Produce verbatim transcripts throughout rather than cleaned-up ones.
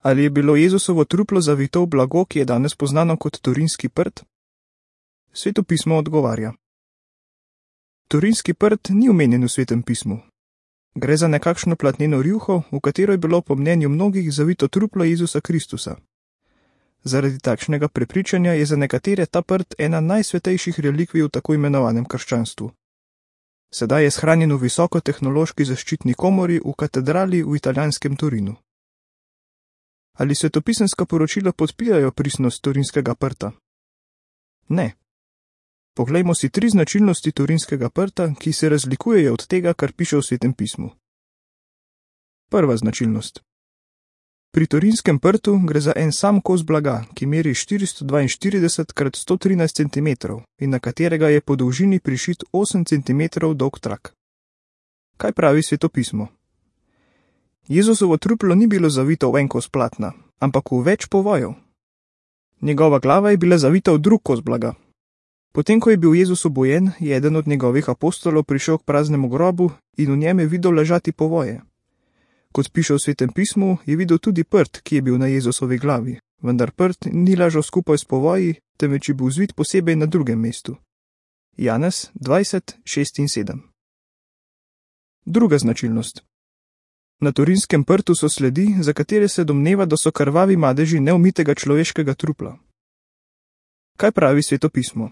Ali je bilo Jezusovo truplo zavito v blago, ki je danes poznano kot turinski prt? Sveto pismo odgovarja. Turinski prt ni omenjen v Svetem pismu. Gre za nekakšno platneno rjuho, v katero je bilo po mnenju mnogih zavito truplo Jezusa Kristusa. Zaradi takšnega prepričanja je za nekatere ta prt ena najsvetejših relikvij v tako imenovanem krščanstvu. Sedaj je shranjen v visokotehnološki zaščitni komori v katedrali v italijanskem Torinu. Ali svetopisemska poročila podpirajo pristnost turinskega prta? Ne. Poglejmo si tri značilnosti turinskega prta, ki se razlikujejo od tega, kar piše v Svetem pismu. Prva značilnost. Pri turinskem prtu gre za en sam kos blaga, ki meri štiristo dvainštirideset krat sto trinajst centimetrov in na katerega je po dolžini prišit osem centimetrov dolg trak. Kaj pravi Sveto pismo? Jezusovo truplo ni bilo zavito v en kos platna, ampak v več povojev. Njegova glava je bila zavita v drug kos blaga. Potem, ko je bil Jezus obojen, je eden od njegovih apostolov prišel k praznemu grobu in v njem je videl ležati povoje. Kot piše v Svetem pismu, je videl tudi prt, ki je bil na Jezusovi glavi, vendar prt ni ležal skupaj s povoji, temveč je bil zvit posebej na drugem mestu. Janez dvajset, šest in sedem. Druga značilnost. Na turinskem prtu so sledi, za katere se domneva, da so krvavi madeži neumitega človeškega trupla. Kaj pravi Sveto pismo?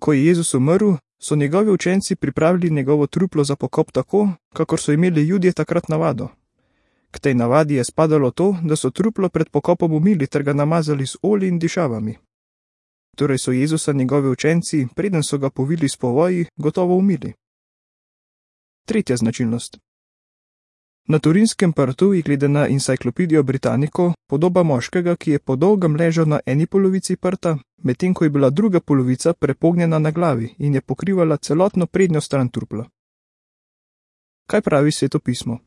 Ko je Jezus umrl, so njegovi učenci pripravili njegovo truplo za pokop tako, kakor so imeli Judje takrat navado. K tej navadi je spadalo to, da so truplo pred pokopom umili ter ga namazali z olji in dišavami. Torej so Jezusa njegovi učenci, preden so ga povili s povoji, gotovo umili. Tretja značilnost. Na turinskem prtu je glede na Encyclopedia Britannico podoba moškega, ki je po dolgem ležal na eni polovici prta, medtem ko je bila druga polovica prepognjena na glavi in je pokrivala celotno prednjo stran trupla. Kaj pravi Sveto pismo?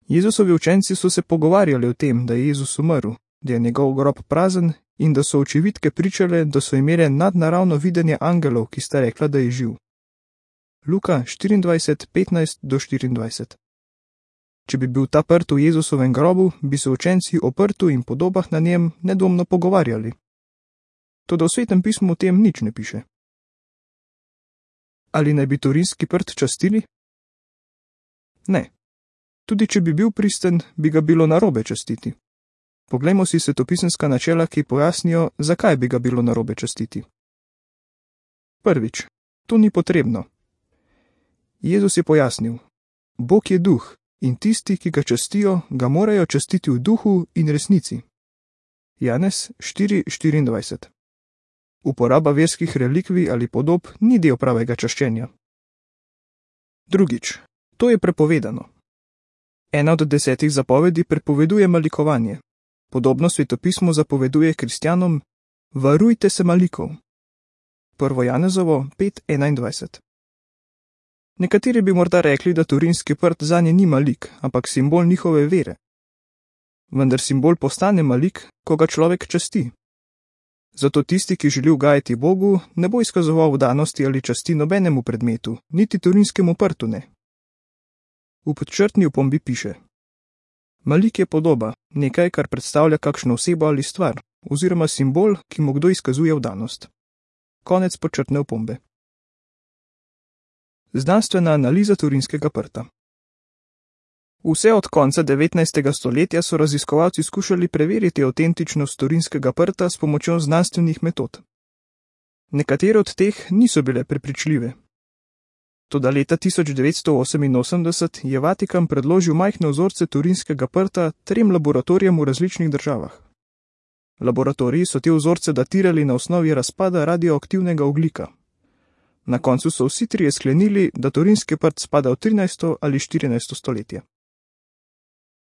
Jezusovi učenci so se pogovarjali o tem, da je Jezus umrl, da je njegov grob prazen in da so očividke pričale, da so imele nadnaravno videnje angelov, ki sta rekla, da je živ. Luka štiriindvajset, petnajst do štiriindvajset. Če bi bil ta prt v Jezusovem grobu, bi se učenci o prtu in podobah na njem nedvomno pogovarjali. Toda v Svetem pismu o tem nič ne piše. Ali naj bi turinski prt častili? Ne. Tudi če bi bil pristen, bi ga bilo narobe častiti. Poglejmo si svetopisemska načela, ki pojasnijo, zakaj bi ga bilo narobe častiti. Prvič, to ni potrebno. Jezus je pojasnil: Bog je duh in tisti, ki ga častijo, ga morajo častiti v duhu in resnici. Janez štiri štiriindvajset. Uporaba verskih relikvij ali podob ni del pravega čaščenja. Drugič, to je prepovedano. Ena od desetih zapovedi prepoveduje malikovanje. Podobno svetopismo zapoveduje kristjanom: varujte se malikov. Prvo Janezovo pet enaindvajset. Nekateri bi morda rekli, da turinski prt zanje ni malik, ampak simbol njihove vere. Vendar simbol postane malik, ko ga človek časti. Zato tisti, ki želi ugajati Bogu, ne bo izkazoval vdanosti ali časti nobenemu predmetu, niti turinskemu prtu ne. V podčrtni opombi piše: malik je podoba, nekaj, kar predstavlja kakšno osebo ali stvar, oziroma simbol, ki mu kdo izkazuje vdanost. Konec podčrtne opombe. Znanstvena analiza turinskega prta. Vse od konca devetnajstega stoletja so raziskovalci skušali preveriti avtentičnost turinskega prta s pomočjo znanstvenih metod. Nekatere od teh niso bile prepričljive. Toda leta tisoč devetsto oseminosemdeset je Vatikan predložil majhne vzorce turinskega prta trem laboratorijem v različnih državah. Laboratoriji so te vzorce datirali na osnovi razpada radioaktivnega ogljika. Na koncu so vsi trije sklenili, da turinski prt spada v trinajsto ali štirinajsto stoletje.